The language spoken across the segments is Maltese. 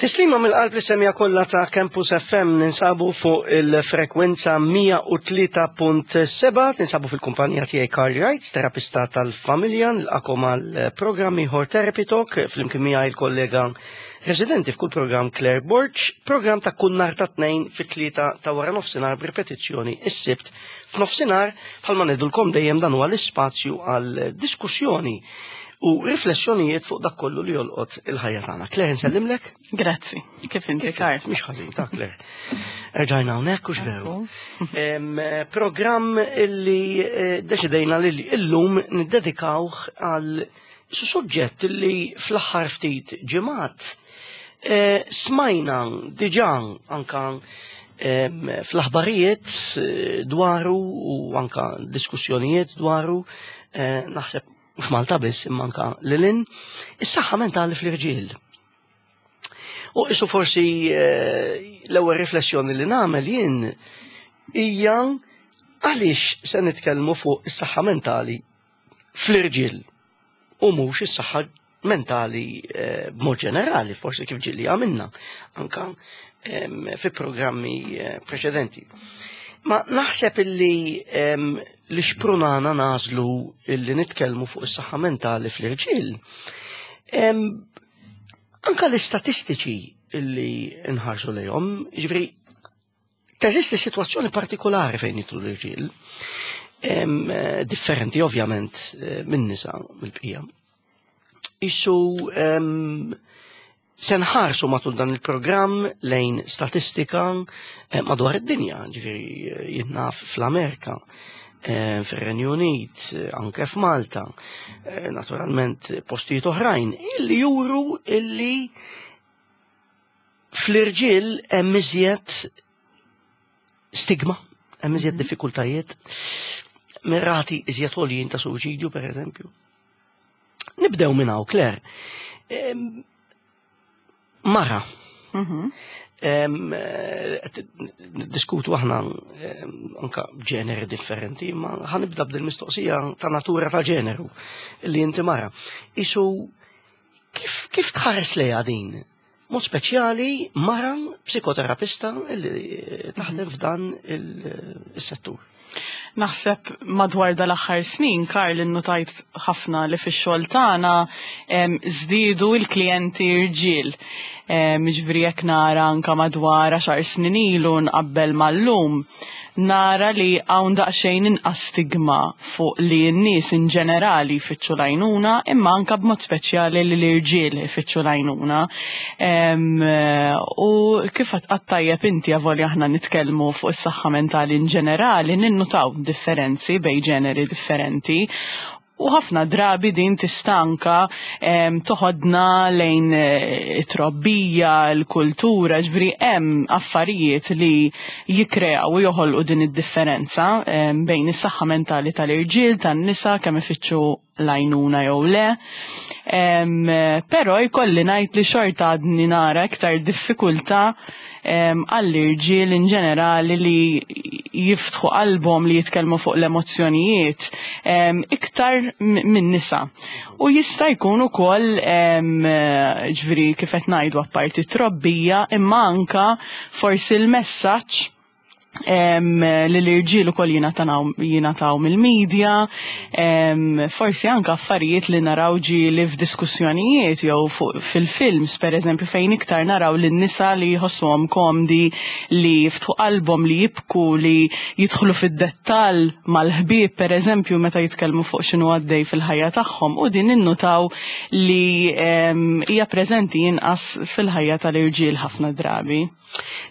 Tislima mill-qalb li semja kollha ta' Campus FM ninsabu fuq il-frekwenza 103.7 tinsabu fil-kumpanija tiegħi Carl Wright, terapista tal-familja, nilqakom għal programm ieħor Therapy Talk flimkien miegħi il-kollega residenti f'kull programm Claire Borg, programm ta' kull nhar ta' tnejn fit-tlieta ta' wara nofsinhar b'ripetizzjoni is-Sibt f'nofsinhar bħalma ngħidulkom dejjem dan huwa l-ispazju għal diskussjoni u riflessjonijiet fuq dak kollu li jolqot il-ħajja tagħna. Claire nsellimlek? Grazzi. Kif inti Karl? Mhix ħażin ta' Claire. Erġajna hawnhekk u veru. Programm illi eh, deċidejna li illum niddedikawh għal suġġett li fl-aħħar ftit ġimgħat eh, smajna diġà anka fl-aħbarijiet eh, dwaru u anka diskussjonijiet dwaru naħseb mhux Malta biss imma anka lilin, is-saħħa mentali fl-irġiel. U isu forsi eh, l-ewwel riflessjoni li nagħmel jien hija għaliex se nitkellmu fuq is-saħħa mentali fl-irġiel u mhux is-saħħa mentali eh, b'mod ġenerali, forsi kif ġilli għamilna anka fi programmi eh, preċedenti. Ma naħseb illi li xprunana nażlu illi nitkellmu fuq is-saħħa mentali fl-irġiel. Anka l-istatistiċi illi nħarsu lejhom, ġifieri teżisti sitwazzjoni partikolari fejn jitlu l-irġiel, eh, differenti ovvjament eh, minn nisa mill-bqija. Isu se nħarsu matul dan il-programm lejn statistika eh, madwar id-dinja, ġifieri eh, jinnaf fl-Amerika, eh, fir-Renju Unit, anke f'Malta, naturalment postijiet oħrajn, illi juru illi fl-irġiel hemm iżjed stigma, hemm iżjed mhm. diffikultajiet, mirati iżjed għoljin ta' suċidju, per eżempju. Nibdew minn hawn, Claire. Mara. Mhm. Diskutu aħna anka ġeneri differenti, ma ħanibda b'dil mistoqsija ta' natura ta' ġeneru li inti mara. Isu kif, kif tħares lejha din? Mod speċjali mara psikoterapista li taħdem f'dan il-settur. Naħseb madwar dal-aħħar snin, Karl, innutajt ħafna li fix-xogħol tagħna żdiedu l-klijenti rġiel. Jiġifieri jekk nara anka madwar għaxar snin ilu nqabbel mal-lum, nara li hawn daqsxejn inqas stigma fuq li n-nies in ġenerali jfittxu l-għajnuna imma anka b'mod speċjali li l-irġiel ifittxu l-għajnuna. U kif għadt tajjeb inti avolja aħna nitkellmu fuq is-saħħa mentali in ġenerali ninnutaw differenzi bejn ġeneri differenti U ħafna drabi din tista' anka toħodna lejn eh, it-trobbija, l-kultura, ġifieri hemm affarijiet li jikkreaw u joħolqu din id-differenza bejn is-saħħa mentali tal-irġiel, tan-nisa, kemm ifittxu l-għajnuna jew le. Però jkolli ngħid li xorta għadni nara iktar diffikultà għall-irġiel in ġenerali li jiftħu qalbhom li jitkellmu fuq l-emozzjonijiet iktar minn nisa. U jista' jkun ukoll ġifieri kif qed ngħidu apparti trobbija imma anka forsi l-messaġġ li l-irġiel ukoll jingħataw mill-medja, forsi anke affarijiet li naraw ġieli f'diskussjonijiet jew fil-films pereżempju fejn iktar naraw lin-nisa li jħossuhom komdi li jiftħu qalbhom li jibku li jidħlu fid-dettall mal-ħbieb pereżempju meta jitkellmu fuq x'inhu għaddej fil-ħajja tagħhom u din ninnutaw li hija preżenti inqas fil-ħajja tal-irġiel ħafna drabi.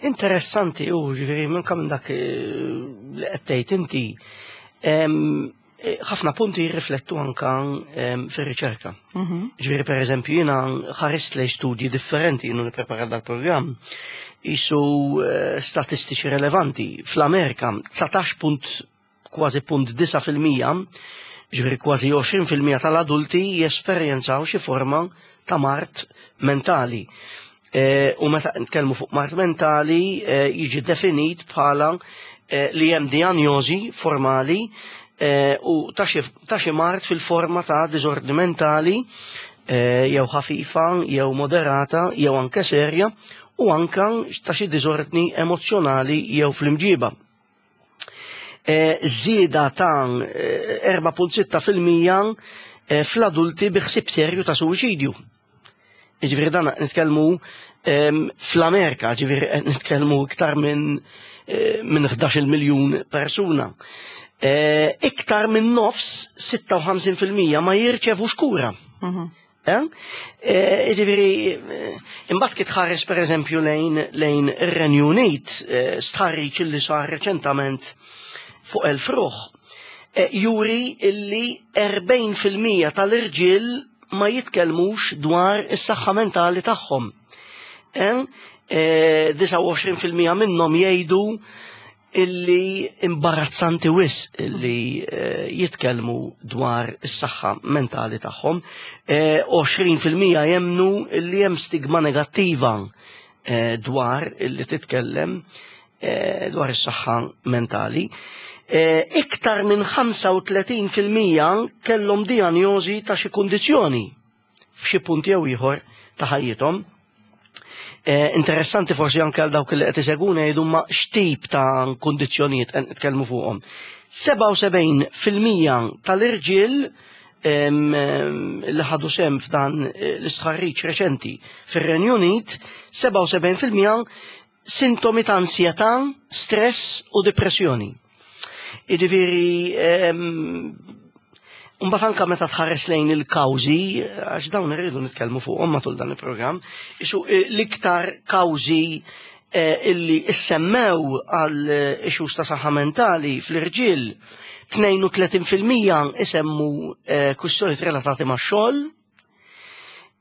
Interessanti u ġifieri minn minn dak eh, li qed tgħid inti eh, ħafna punti jirriflettu anka fir-riċerka. Mhm. Ġifieri pereżempju jiena ħarist lej studji differenti jienu nipprepara dal-programm isu eh, statistiċi relevanti. Fl-Amerika 19 punt kważi punt 9%, ġifieri kważi 20% tal-adulti jesperjenzaw xi forma ta' mart mentali. E, u meta nitkellmu fuq mart mentali e, jiġi definit bħala e, li hemm dijanjosi formali u ta' xi mart fil-forma ta' diżordni mentali jew ħafifa, jew moderata, jew anke serja, u anka ta' xi diżordni emozzjonali jew fl-imġiba. Żieda ta' 4.6% fl-adulti bi ħsieb serju ta' suwiċidju. Jiġifieri dan nitkellmu fl-Amerika, ġifieri qed nitkellmu iktar minn min 11 miljun persuna. Iktar minn nofs 56% ma jirċevux kura. Ġifieri, imbagħad kif tħares pereżempju lejn lejn ir-Renju Unit, stħarriġ li sar reċentament fuq 1000 ruħ, juri illi 40% tal-irġiel ma jitkellmux dwar is-saħħa mentali tagħhom. 29% minnhom jgħidu illi imbarazzanti wisq illi jitkellmu dwar is-saħħa mentali tagħhom. 20% jemnu illi hemm stigma negattiva dwar illi titkellem dwar is-saħħa mentali. Iktar minn 35% kellhom dijanjosi ta' xi kundizzjoni f'xi punt jew ieħor ta' ħajjithom. Interessanti forsi anke għal dawk li qed iseguna jgħidu ma x'tip ta' kundizzjonijiet qed nitkellmu fuqhom. 77% tal-irġiel li ħadu sehem f'dan l-istħarriġ reċenti fir-Renju Unit, 77% sintomi ta' ansjetà, stress u depressjoni. Jiġifieri mbagħad anke meta tħares lejn il-kawżi, għax dawn irridu nitkellmu fuqhom matul dan il-programm, isu l-iktar kawżi illi issemmew għal issues ta' saħħa mentali fl-irġiel, 32% isemmu kwistjonijiet relatati max-xogħol,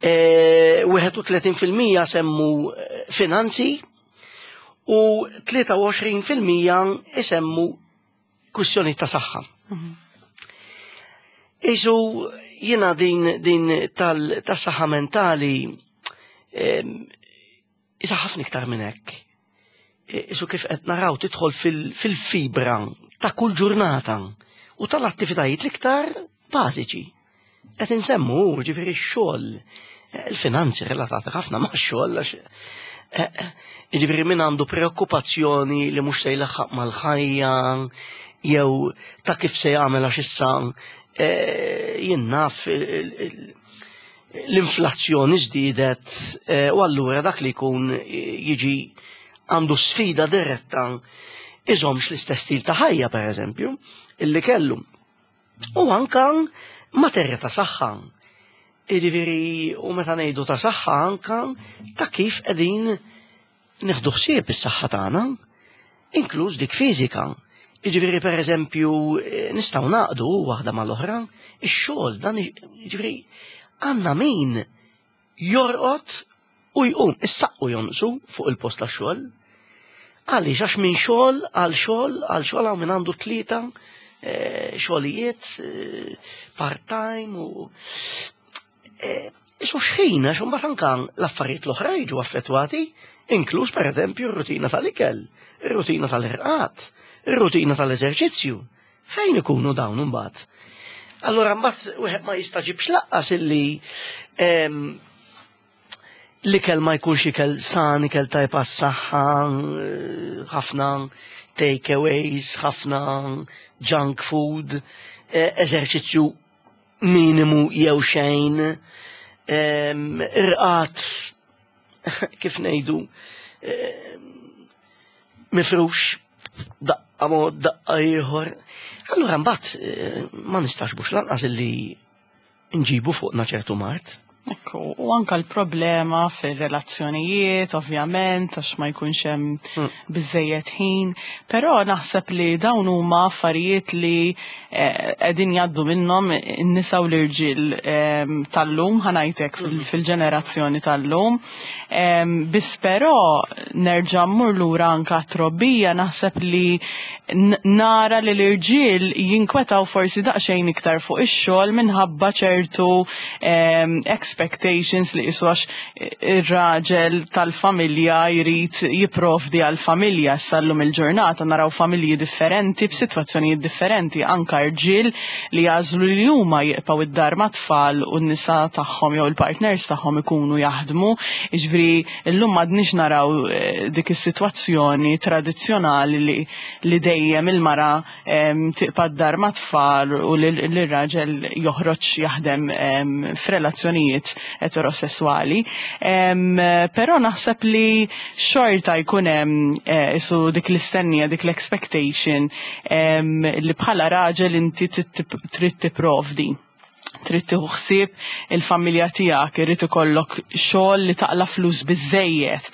31% semmu finanzi u 23% isemmu kwistjoni ta' saħħa. Isu jiena din tas-saħħa mentali isa ħafna iktar minn hekk. Isu kif qed naraw tidħol fil-fibra ta' kull ġurnata u tal-attivitajiet l-iktar bażiċi. Qed insemmu ġifieri x-xogħol, il-finanzi relatati ħafna ma' xogħol għax ġifieri min għandu preokkupazzjoni li mhux se jlaħħaq mal-ħajja jew ta' kif se jagħmel għax issa jien naf l-inflazzjoni żdiedet u allura dak li jkun jiġi għandu sfida diretta iżomx l-istess stil ta' ħajja pereżempju illi kellu. U anka materja ta' saħħa. Jiġifieri u meta ngħidu ta' saħħa anka ta' kif qegħdin nieħdu ħsieb is-saħħa tagħna, inkluż dik fiżika. Jiġifieri pereżempju nistgħu naqdu waħda mal-oħra, ix-xogħol dan jiġifieri għandna min jorqod u jqum, is-saqqu jonqsu fuq il-post tax-xogħol. Għaliex għax minn xogħol għal xogħol għal xogħol hawn min għandu tlieta xogħlijiet part-time u isu xħin għax imbagħad anke l-affarijiet l-oħra jiġu affettwati, inkluż pereżempju r-rutina tal-ikel, ir-rutina tal-irqad, ir-rutina tal-eżerċizzju. Fejn ikunu dawn imbagħad? Allura mbagħad wieħed ma jistaġibx laqqas illi l-ikel ma jkunx ikel san, ikel tajb għas-saħħa, ħafna takeaways, ħafna junk food, eżerċizzju minimu jew xejn, irqad kif ngħidu mifrux daqqa mod daqqa ieħor. Allura mbagħad ma nistax bux lanqas illi nġibu fuqna ċertu mard. Ekku, u anka l-problema fir-relazzjonijiet, ovvjament, għax ma jkunx hemm biżejjed ħin, però naħseb li dawn huma affarijiet li qegħdin jgħaddu minnhom in-nisa u l-irġiel tal-lum, ħanajtek fil-ġenerazzjoni tal-lum. Biss però nerġa' mmur lura anka trobbija, naħseb li nara li l-irġiel jinkwetaw forsi daqsxejn iktar fuq ix-xogħol minħabba ċertu Expectations li qisu għax ir-raġel tal-familja jrid jipprovdi għall-familja. Issa llum il-ġurnata naraw familji differenti b'sitwazzjonijiet differenti, anka rġiel li jagħżlu li huma jibqgħu id-dar mat-tfal u n-nisa tagħhom jew il-partners tagħhom ikunu jaħdmu. Jiġifieri llum m'għadniex naraw eh, dik is-sitwazzjoni tradizzjonali li, li dejjem il-mara tibqa' d-dar mat-tfal u li r-raġel joħroġ jaħdem f'relazzjonijiet eterosesswali. Però naħseb li xorta jkun hemm eh, isu dik l-istennija, dik l-expectation li bħala raġel inti trid tipprovdi trid tieħu ħsieb il-familja tiegħek, irid ikollok xogħol li taqla flus biżejjed.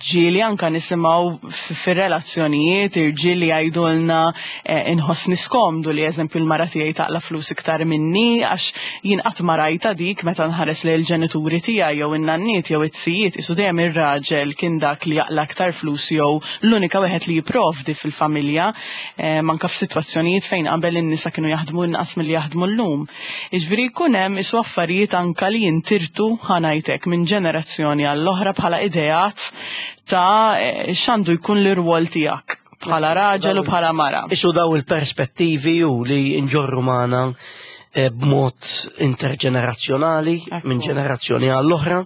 Ġieli anka nisimgħu fir-relazzjonijiet irġiel li jgħidulna eh, inħossni skomdu li eżempju l-mara tiegħi taqla flus iktar minni għax jien qatt ma rajta dik meta nħares lejn il-ġenituri tiegħi jew in-nanniet jew it-sijiet isu dejjem ir-raġel kien dak li jaqla aktar flus jew l-unika wieħed li jipprovdi fil-familja anke f'sitwazzjonijiet fejn qabel in-nisa kienu jaħdmu inqas milli jaħdmu llum. Jiġifieri jkun hemm isu affarijiet anke li jintirtu ħa ngħid hekk minn ġenerazzjoni għall-oħra bħala ideat ta' eh, x'għandu jkun l-irwol tiegħek bħala raġel u bħala mara. Isu daw il-perspettivi u li nġorru magħna eh, b'mod interġenerazzjonali minn ġenerazzjoni għall-oħra.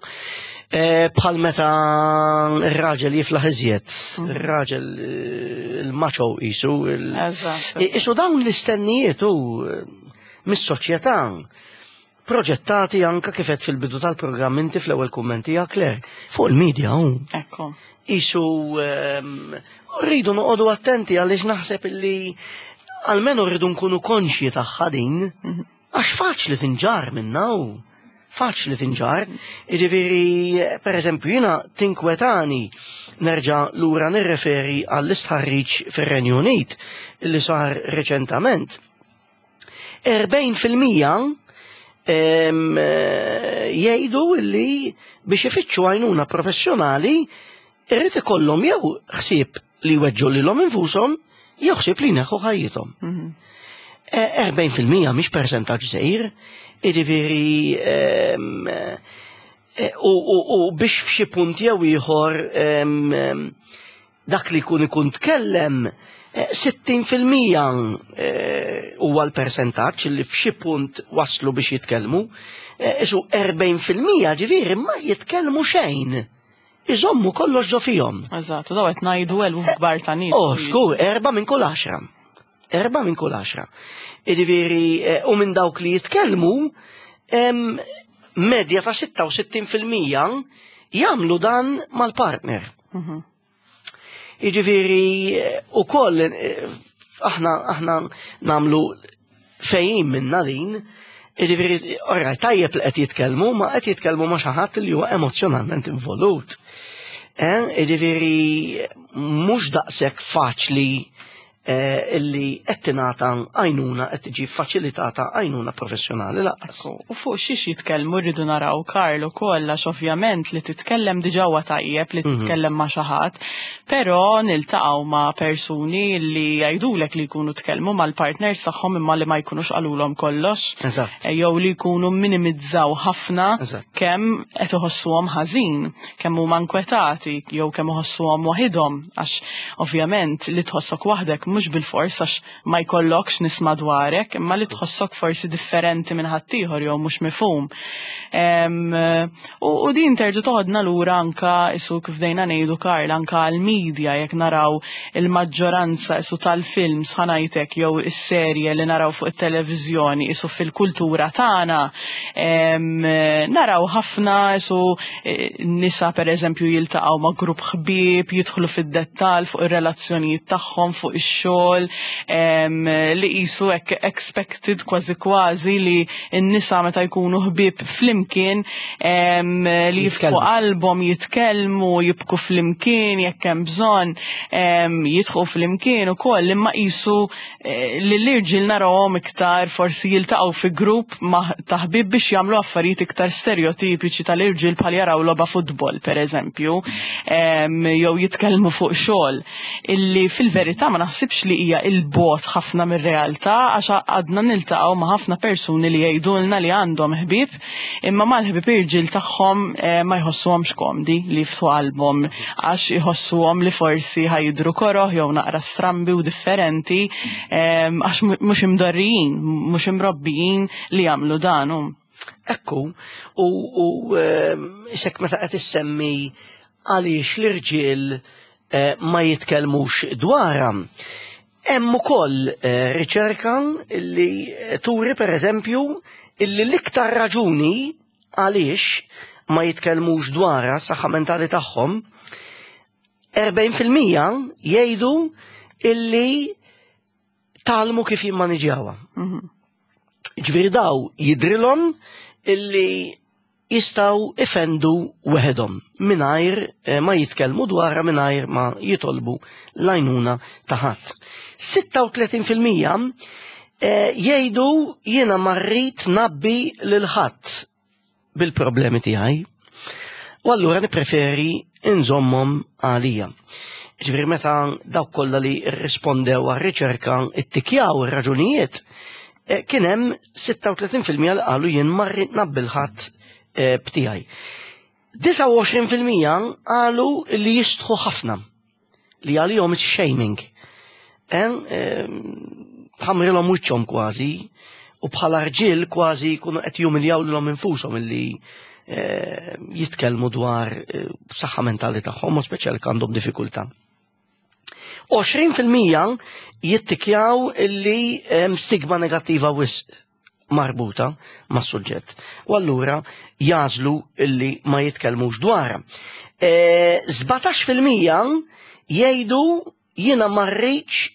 Eh, bħal meta r-raġel jiflaħ iżjed, mm. r-raġel eh, il-maċo isu. Isu dawn l-istennijiet u eh, mis-soċjetà proġettati anka kifet fil-bidu tal-programm inti fl-ewwel kummenti Claire fuq il-medja hu. Ekku. Isu ehm, rridu noqogħdu attenti għaliex naħseb illi almenu rridu nkunu konxji tagħha din. Mhm. Għax faċli tinġarr minna u faċli tinġarr. Jiġifieri, per eżempju, jiena tinkwetani nerġa' lura nirreferi għall-istħarriġ fir-Renju Unit li sar reċentament. 40% jgħidu li biex ifittxu għajnuna professjonali irrid ikollhom jew ħsieb li jweġġu lilhom infushom jew ħsieb li jneħħu ħajjithom. 40% mhm. mhix persentaġġ żgħir, jiġifieri ehm, e, u biex f'xi punt jew ieħor ehm, dak li jkun ikun tkellem 60% e, e, huwa l-persentaġġ li f'xi punt waslu biex jitkellmu, isu 40% ġifieri ma jitkellmu xejn. Iżommu kollox ġo fihom. Eżatt, u daw qed ngħidu eluf kbar ta' nies. Oh, xkur, erba' minn kull għaxra. Erba' minn kull għaxra. Jiġifieri, eh, u minn dawk li jitkellmu, medja ta' 66% jagħmlu dan mal-partner. Mhm. Jiġifieri ukoll eh, aħna aħna nagħmlu fejn minna din, jiġifieri oraj tajjeb li qed jitkellmu, ma qed jitkellmu ma' xi ħadd li huwa emozjonalment involut. Eh, jiġifieri mhux daqshekk faċli Eh, illi qed tingħata għajnuna qed tiġi faċilitata għajnuna professjonali lanqas. U fuq xiex jitkellmu rridu naraw Karl ukoll għax ovvjament li titkellem diġà huwa tajjeb li mhm. titkellem ma' xi ħadd, però niltaqgħu ma' persuni li jgħidulek li jkunu tkellmu mal-partners tagħhom imma li ma jkunux qalulhom kollox. Eh, jew li jkunu minimizzaw ħafna kemm qed iħossuhom ħażin, kemm huma nkwetati jew kemm iħossuhom waħidhom Għax ovvjament li tħossok waħdek mhux bilfors għax ma jkollokx nies madwarek, imma li tħossok forsi differenti minn ħaddieħor jew mhux mifhum. U din terġa' toħodna lura anka isu kif dejna ngħidu Karl anka għall-media jekk naraw il-maġġoranza isu tal-films ħanajtek jew is-serje li naraw fuq it-televiżjoni isu fil-kultura tagħna naraw ħafna isu nisa per eżempju jiltaqgħu ma' grupp ħbieb, jidħlu fid-dettall fuq ir-relazzjonijiet tagħhom, fuq ix-xogħol, li qisu hekk expected kważi kważi li n-nisa meta jkunu ħbieb flimkien li jiftħu qalbhom, jitkellmu, jibku flimkien jekk hemm bżonn, jidħu flimkien ukoll imma qisu eh, li l-irġiel narawhom iktar forsi jiltaqgħu fi grupp ta' ħbieb biex jagħmlu affarijiet iktar stereotipiċi tal-irġiel bħal jaraw logħba futbol pereżempju, jew jitkellmu fuq xogħol illi fil-verità ma naħsibx naħsibx li hija il-bot ħafna mir-realtà għax għadna niltaqgħu ma' ħafna persuni li jgħidulna li għandhom ħbieb imma mal-ħbieb irġiel tagħhom eh, ma jħossuhomx komdi li jiftħu qalbhom għax iħossuhom li forsi ħajidru koroh jew naqra strambi u differenti eh, għax mhux imdorrijin, mhux imrobbijin li jagħmlu dan. Ekku, u, u ehm, isek meta qed issemmi għaliex l-irġiel eh, ma jitkellmux dwarha. Hemm ukoll eh, riċerka li turi pereżempju illi l-iktar raġuni għaliex ma jitkellmux dwarha s-saħħa mentali tagħhom 40% jgħidu illi talmu kif jimmaniġjawha. Mhm. Ġifieri daw jidrilhom illi jistgħu ifendu weħedhom mingħajr eh, ma jitkellmu dwarha mingħajr ma jitolbu l-għajnuna ta' ħadd. 36% eh, jgħidu jiena ma rrid nabbi lil ħadd bil-problemi tiegħi. U allura nippreferi nżommhom għalija. Ġifieri meta dawk kollha li rrispondew għar-riċerka ittikjaw ir-raġunijiet, eh, kien hemm 36% li qalu jien ma rrid nabbil ħadd eh, b'tiegħi. 29% qalu li jistħu ħafna li għalihom it's shaming. Ħamrilhom wiċċhom kważi u bħala rġiel kważi jkunu qed jumiljaw lilhom infushom illi eh, jitkellmu dwar eh, saħħa mentali tagħhom, u speċjali għandhom diffikultà. 20% jittikjaw illi stigma negattiva wisq marbuta mas-suġġett. U allura jażlu illi ma jitkellmux dwarha. E, 17% jgħidu jiena ma rridx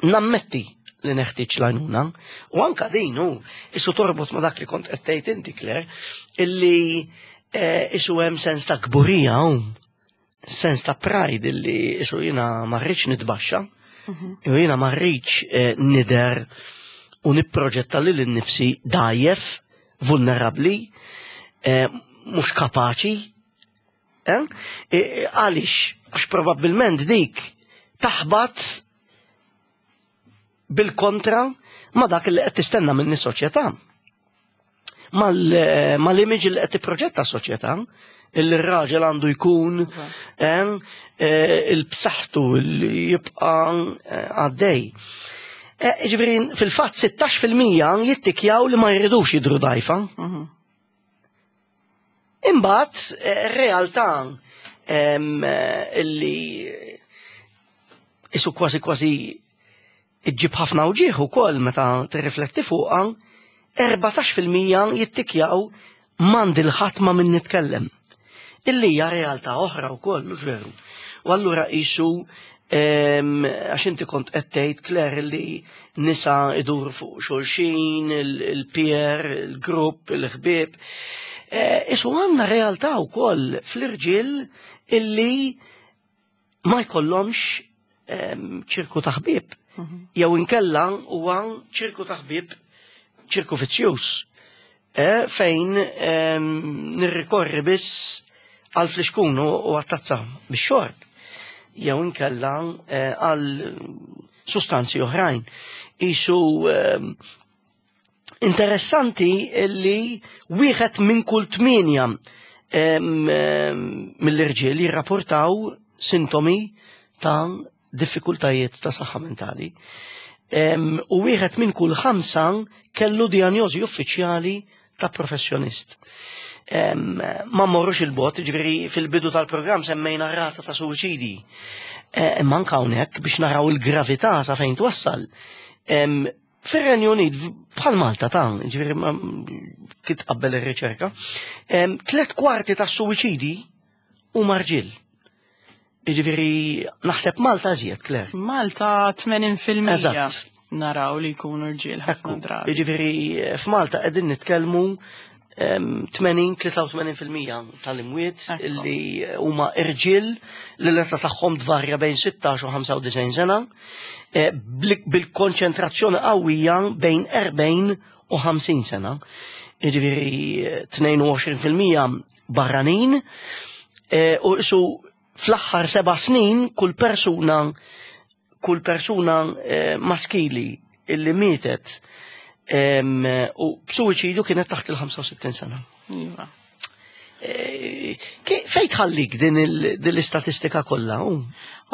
nammetti li neħtieġ l-għajnuna. U anka din hu isu torbot ma dak li kont qed tgħid inti Claire, illi e, isu hemm sens ta' kburija hu sens ta' pride illi isu jiena ma rridx nitbaxxa, mhm. jew jiena ma rridx eh, nider u nipproġetta lil innifsi dajjef, vulnerabbli, eh, mhux kapaċi. Eh? Għaliex, għax probabbilment dik taħbat bil-kontra ma dak li qed tistenna minni soċjetà. Mal-image li qed tipproġetta s-soċjetà, il-raġel għandu jkun eh, eh, il-bsaħtu li jibqa eh, għaddej. Ġifieri fil-fatt 16% jittikjaw li ma jridux jidru dajfa. Mhm. Imbagħad realtà illi isu kważi kważi iġġib ħafna uġieħ ukoll meta tirrifletti fuqha, 14% jittikjaw m'għandi l-ħadd ma' min nitkellem. Illi hija realtà oħra wkoll, mhux veru. U allura qisu għax inti kont qed tgħid Claire li nisa iduru fuq xulxin, il-peer, il-grupp, il-ħbieb. Eh, isu għandna realtà wkoll fl-irġiel illi ma jkollhomx ċirku ta' ħbieb. Mhm. Jew inkella huwa ċirku ta' ħbieb ċirku vizzjuż. Eh, fejn nirrikorri biss għal flixkun u għat-tazza bix-xorb jew inkella eh, għal sustanzi oħrajn. Isu interessanti li wieħed minn kull tmienja mill-irġiel jirrapportaw sintomi ta' diffikultajiet ta' saħħa mentali. U wieħed minn kull ħamsa kellu dijanjosi uffiċjali ta' professjonist. Ma mmorrux il-bot, ġifieri fil-bidu tal-programm semmejna rata ta' suwiċidi. E, imma anke hawnhekk biex naraw il-gravità sa fejn twassal. Fir-Renju Unit, bħal Malta ta' ġifieri kif tqabbel ir-riċerka, tlet kwarti ta' suwiċidi huma rġiel. Jiġifieri naħseb Malta żjed, Claire. Malta 80% Eżatt. naraw li jkunu rġiel ħafna drabi. Jiġifieri f'Malta qegħdin nitkellmu 80-83% tal-imwiet li huma irġiel li l-età tagħhom tvarja bejn 16 u 95 sena, eh, bil-konċentrazzjoni qawwija bejn 40 u 50 sena. Jiġifieri 22% barranin eh, u isu fl-aħħar seba' snin kull persuna kull persuna eh, maskili illi mietet u b'suwiċidju kienet taħt il-65 sena. Iva. Eh, Fejn tħallik din l-istatistika kollha?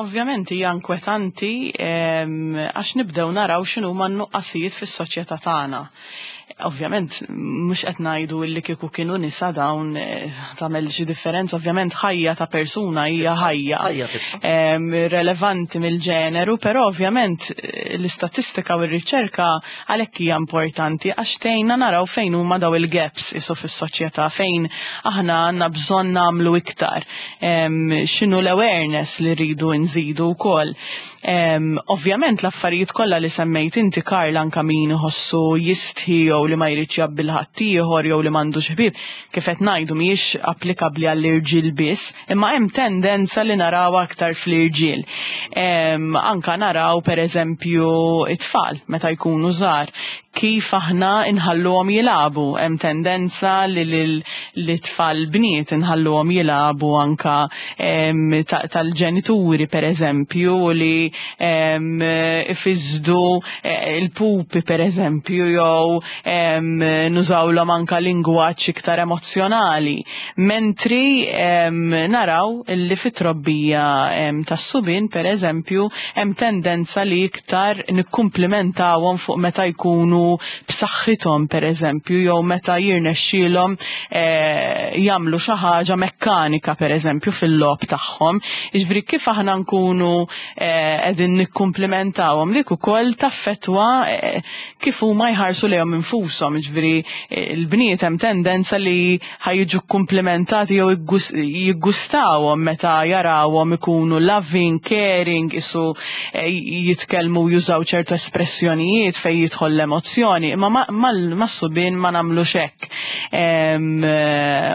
Ovvjament hija inkwetanti għax nibdew naraw x'inhuma n-nuqqasijiet fis-soċjetà tagħna. Ovvjament mhux qed ngħidu li kieku kienu nisa dawn eh, tagħmel xi differenza, ovvjament ħajja ta' persuna hija ħajja. Relevanti mill-ġeneru, però ovvjament eh, l-istatistika u r-riċerka għalhekk hija importanti għax tgħinna naraw fejn huma daw il-gaps isu fis-soċjetà fejn aħna għandna bżonn nagħmlu iktar. X'inhu l-awareness li rridu nżidu wkoll. Ovvjament l-affarijiet kollha li semmejt inti Karl anka min iħossu jistħi jew li ma jridx jgħabbi ħaddieħor jew li m'għandux ħbieb, kif qed ngħidu mhijiex applikabbli għall-irġiel biss, imma hemm tendenza li naraw aktar fl-irġiel. Anka naraw pereżempju it-tfal meta jkunu żgħar kif aħna inħalluhom jilagħbu. Hemm tendenza li l-tfal bniet inħalluhom jilagħbu anka tal-ġenituri pereżempju li ifisdu eh, il-pupi pereżempju jew nużawlhom anka lingwaġġ iktar emozzjonali. Mentri naraw li fit-trobbija tas-subien pereżempju hemm tendenza li iktar nikkumplimentawhom fuq meta jkunu b'saħħithom pereżempju jew meta jirnexxielhom eh, jagħmlu xi ħaġa mekkanika pereżempju fil-logħob tagħhom. Jiġifieri kif aħna nkunu eh, qegħdin nikkumplimentawhom dik ukoll taffettwa eh, kif huma jħarsu lejhom infushom, jiġifieri l-bniet hemm tendenza li ħa jiġu kkumplimentati jew jiggustawhom meta jarawhom ikunu loving, caring, isu eh, jitkellmu jużaw ċertu espressjonijiet fejn jidħol l-emozzjoni, imma mas-subien ma nagħmlux hekk. Eh,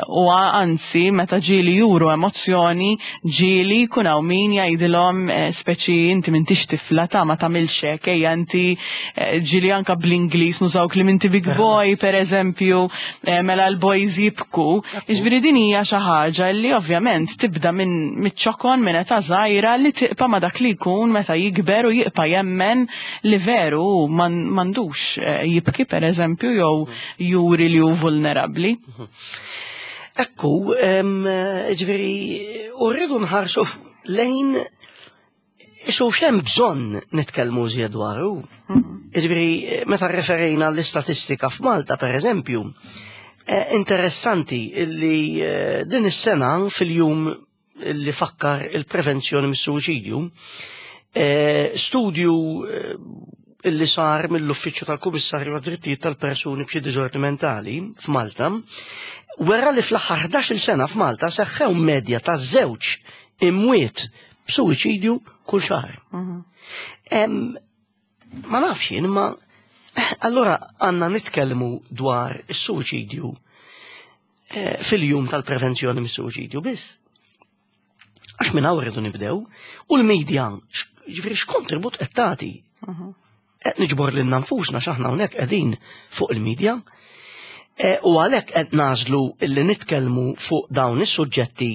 u anzi, meta ġieli juru emozzjoni, ġieli jkun hawn min jgħidilhom eh, speċi inti m'intix tifla ta' ma tagħmilx hekk, ejja inti ġieli anka bl-Ingliż nużaw kliem inti big boy pereżempju, Eh, mela l-boys jibku. Jiġifieri din hija xi ħaġa li ovvjament tibda minn miċ-ċokon minn età żgħira li tibqa' ma' dak li jkun meta jikber u jibqa' jemmen li veru m'għandux eh, jibki pereżempju jew juri li hu vulnerabbli. Ekku, ġifieri, u rridu nħarsu lejn Isu xem bżonn nitkellmu iżjed dwaru. Jiġifieri meta referejna l-istatistika f'Malta pereżempju, eh, interessanti illi eh, din is-sena fil-jum li fakkar il-prevenzjoni mis-suwiċidju, eh, studju illi sar mill-Uffiċċju tal-Kummissarju għad-Drittijiet tal-Persuni b'xi diżordni mentali f'Malta, wera li fl-aħħar 11-il sena f'Malta seħħew medja ta' żewġ imwiet b'suwiċidju kull xahar. Mhm. Ma nafx jien, imma allura għandna nitkellmu dwar is-suwiċidju eh, fil-jum tal-prevenzjoni mis-suwiċidju biss. Għax minn hawn rridu nibdew u l-medja ġifieri x'kontribut qed tagħti. Mhm. Qed niġbor lilna nfusna x'aħna hawnhekk qegħdin fuq il-medja. E, u għalhekk qed nażlu illi nitkellmu fuq dawn is-suġġetti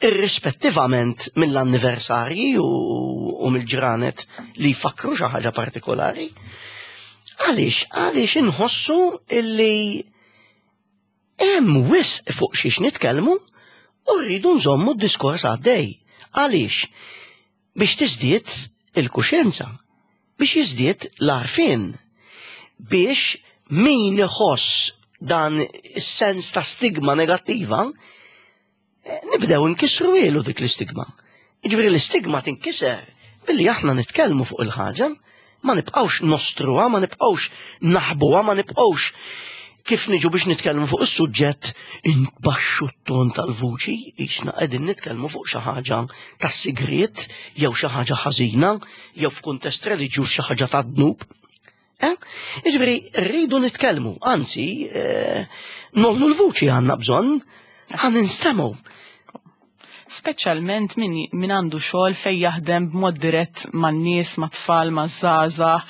irrispettivament mill-anniversarji u, u mill-ġranet li jfakru xi ħaġa partikolari. Għaliex, għaliex inħossu illi hemm wisq fuq xiex nitkellmu u rridu nżommu d-diskors għaddej. Għaliex? Biex tiżdied il-kuxjenza, biex jiżdied l-għarfien, biex min iħoss dan is-sens ta' stigma negattiva, eh, nibdew nkissru ilu dik l-istigma. Jiġifieri l-istigma tinkiser billi aħna nitkellmu fuq il-ħaġa, ma nibqgħux nostruha, ma nibqgħux naħbuha, ma nibqgħux kif niġu biex nitkellmu fuq is-suġġett inbaxxu t-ton tal-vuċi, jisna qegħdin nitkellmu fuq xi ħaġa tas-sigriet jew xi ħaġa ħażina jew f'kuntest reliġjuż xi ħaġa ta' dnub. Eh? Jiġifieri rridu nitkellmu, anzi, eh, nollu l-vuċi għandna bżonn, ħan instemgħu. speċjalment min, min għandu xogħol fejn jaħdem b'mod dirett man-nies, mat-tfal, maż-żgħażagħ,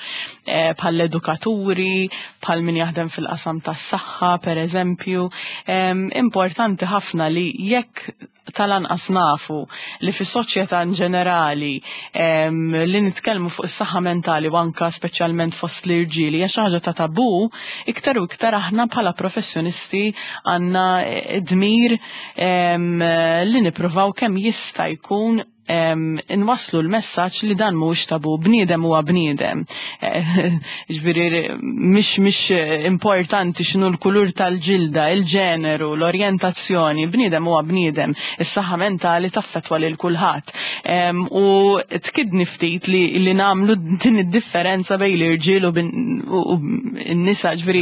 eh, bħall edukaturi, bħal min jaħdem fil-qasam tas-saħħa, per eżempju. Importanti ħafna li jekk tal-anqas nafu li fis-soċjetà in ġenerali li nitkellmu fuq is-saħħa mentali u anka speċjalment fost l-irġiel hija xi ħaġa ta' tabu, iktar u iktar aħna bħala professjonisti għandna dmir li nippruvaw kemm jista' jkun inwasslu l-messaġġ li dan mhuwiex tabu, bniedem huwa bniedem. Ġifieri mhix mhix importanti x'inhu l-kulur tal-ġilda, il-ġeneru, l-orjentazzjoni, bniedem huwa bniedem. Is-saħħa mentali taffettwa lil kulħadd. U tkidni ftit li, li nagħmlu din id-differenza bejn l-irġiel u n-nisa, ġifieri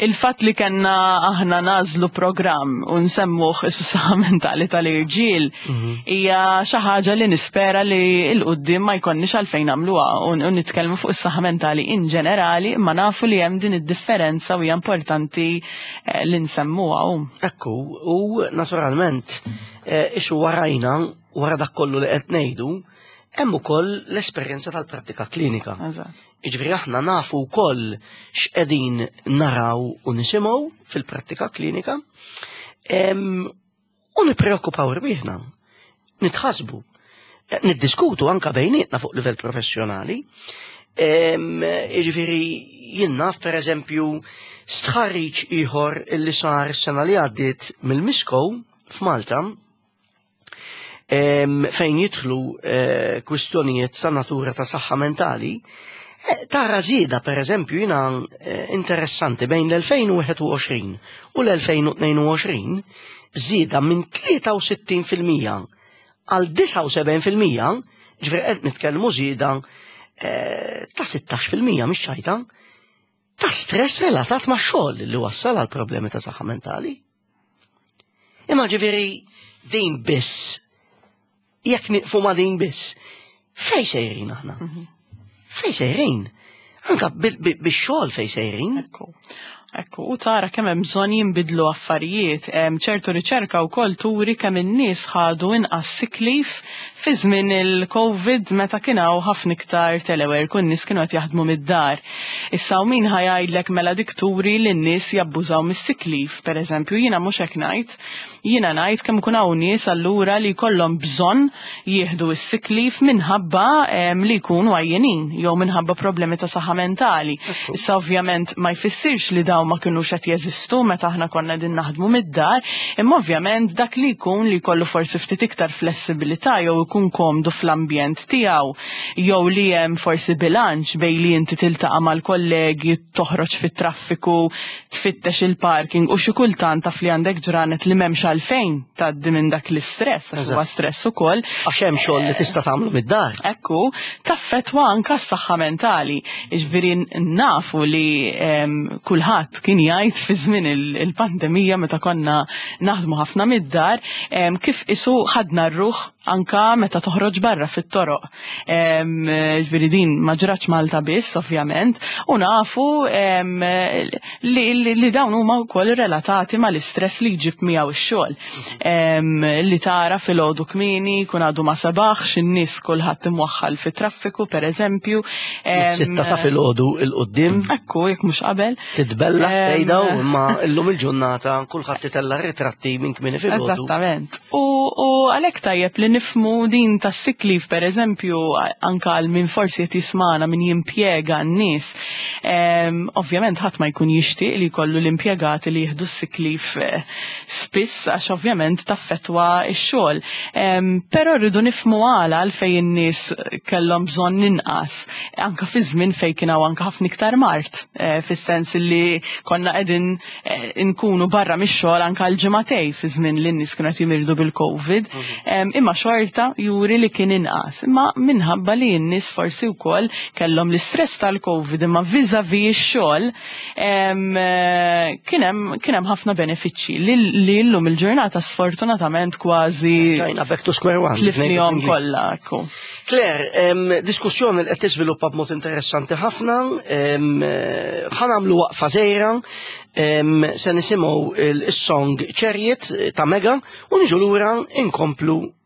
il-fatt li kellna aħna nagħżlu programm u nsemmuh is-saħħa mentali tal-irġiel mhm. hija xi ħaġa li nispera li l qudiem ma jkollniex għalfejn nagħmluha u nitkellmu fuq is-saħħa mentali in ġenerali, imma nafu li hemm din id-differenza u hija importanti eh, li nsemmuha. Ekku, u naturalment eh, ixu warajna wara dak kollu li qed ngħidu, hemm ukoll l-esperjenza tal-prattika klinika. Jiġifieri aħna nafu wkoll x'qegħdin naraw u nisimgħu fil-prattika klinika. U nippreokkupaw rwieħna, nitħasbu, eh, niddiskutu anka bejnietna fuq livell professjonali. Jiġifieri jien naf pereżempju stħarriġ ieħor li sar sena li għaddiet mill-Miskow f'Malta fejn jidħlu eh, kwistjonijiet ta' natura ta' saħħa mentali, eh, tara żieda pereżempju jiena eh, interessanti bejn l-2021 u l-2022 żieda minn 63% għal 79%, ġifieri qed nitkellmu żieda ta' 16% mhix ċajta, ta' stress relatat ma' xogħol li wassal għal problemi ta' saħħa mentali. Imma ġifieri din biss, jekk nieqfu ma' din biss, fej sejrin aħna? Mhm. Fej sejrin? Anka bix-xogħol fej sejrin? Ekku. Ekku, u tara kemm hemm bżonn jinbidlu affarijiet. Ċertu riċerka wkoll turi kemm in-nies ħadu inqas sick leave fi żmien il-Covid meta kien hawn ħafna iktar telework u n-nies kienu qed jaħdmu mid-dar. Issa hawn min ħa jgħidlek mela dik turi li n-nies jabbużaw mis-sick leave, pereżempju, jiena mhux hekk ngħid. Jiena ngħid kemm ikun hawn nies allura li jkollhom bżonn jieħdu s-sick leave minħabba li jkunu għajjenin jew minħabba problemi ta' saħħa mentali. Issa ovvjament ma jfissirx li dawn ma kinux qed jeżistu meta aħna konna qegħdin naħdmu mid-dar, imma ovvjament dak li jkun li jkollu forsi ftit iktar flessibilità jew ikun komdu fl-ambjent tiegħu jew li hemm forsi bilanċ bejn li inti tiltaqa' mal-kollegi, toħroġ fit-traffiku, tfittex il-parking u xi kultant taf li għandek ġranet li m'hemmx għalfejn tgħaddi minn dak l-istress għax huwa stress ukoll. Għax hemm xogħol li tista' tagħmlu mid-dar. Ekku, taffettwa anke s-saħħa mentali. Jiġifieri nafu li kulħadd kien jgħid fi żmien il-pandemija meta konna naħdmu ħafna mid-dar kif isu ħadna r-ruħ anka meta toħroġ barra fit-toroq. Ġifieri din ma ġratx Malta biss, ovvjament, u nafu li, li, li dawn huma wkoll relatati mal-istress li jġib miegħu x-xogħol. Li tara filgħodu kmieni kun għadu ma sebaħx, in-nies kulħadd imwaħħal fit-traffiku pereżempju. Sitta ta' filgħodu il-qudiem. Ekku, jekk mhux qabel. Titbella tgħidha imma llum il-ġurnata kulħadd itella' ritratti minn kmieni filgħodu. Eżattament. U, u għalhekk tajjeb li nifmu din tas sick leave pereżempju anka għal min forsi qed jismana min jimpjega n-nies. Ovvjament ħadd ma jkun jixtieq li jkollu l-impjegati li jieħdu s-sick leave eh, spiss għax ovvjament taffettwa x-xogħol. Però rridu nifmu għala għalfejn in-nies kellhom bżonn inqas anka fi żmien fejn kien hawn anka ħafna iktar mard, eh, fis-sens li konna qegħdin eh, nkunu barra mix-xogħol anka l-ġimagħtej fi żmien li n-nies kienu qed jimirdu bil-COVID. Mhm. Imma xorta juri li kien inqas. Imma minħabba li n-nies forsi wkoll kellhom l-istress tal-COVID imma vis-a-vis ix-xogħol eh, kien hemm ħafna benefiċċji li llum il-ġurnata sfortunatament kważi Ġajna back to square one. Tlifnihom kollha, ekku. Claire, diskussjoni li qed tiżviluppa b'mod interessanti ħafna, ħa nagħmlu waqfa żgħira, se nisimgħu is-song Chariot ta' Mega u niġu lura inkomplu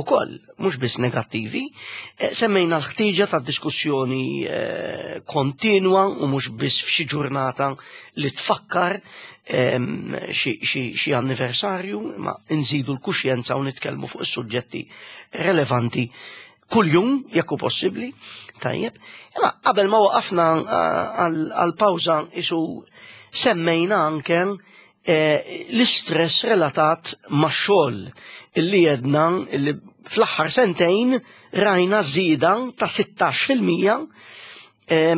ukoll, mhux biss negattivi. Eh, semmejna l-ħtieġa ta' diskussjoni eh, kontinwa u mhux biss f'xi ġurnata li tfakkar ehm, xi anniversarju, ma nżidu l-kuxjenza u nitkellmu fuq is-suġġetti relevanti kuljum jekk hu possibbli. Tajjeb. Imma qabel ma waqafna eh, għal-pawża isu semmejna anke Eh, l-istress relatat max-xogħol illi jedna illi fl-aħħar sentejn rajna żieda ta' 16% eh,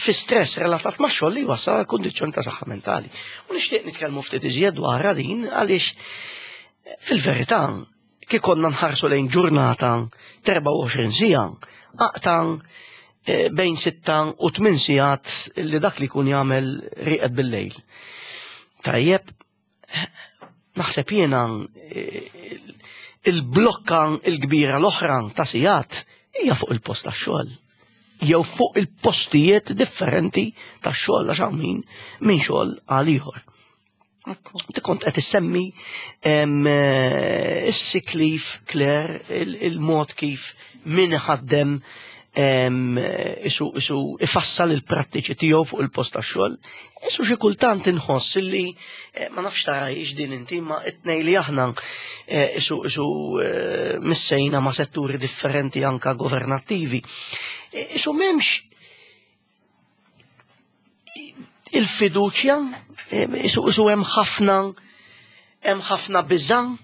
fi stress relatat ma' xogħol li wassal għal kundizzjoni ta' saħħa mentali. U nixtieq nitkellmu ftit iżjed dwar din għaliex fil-verità kif konna nħarsu lejn ġurnata 24 siegħa, aqta eh, bejn 6 u 8 sigħat li dak li jkun jagħmel rieqed bil-lejl. Tajjeb, naħseb jiena eh, il-blokka il-kbira l-oħra ta' sigħat hija fuq il-post tax-xogħol jew fuq il-postijiet differenti tax-xogħol għax hawn min minn xogħol għal ieħor. Ti kont qed issemmi eh, is-sick leave, Claire, il-mod kif min ħaddem isu isu ifassal il-prattiċi tiegħu fuq il-post tax-xogħol. Isu xi kultant inħoss illi eh, ma nafx tara din inti ma it-tnej li aħna eh, isu isu missejna ma' setturi differenti anka governattivi. Isu m'hemmx il-fiduċja, eh, isu hemm ħafna hemm ħafna biżan,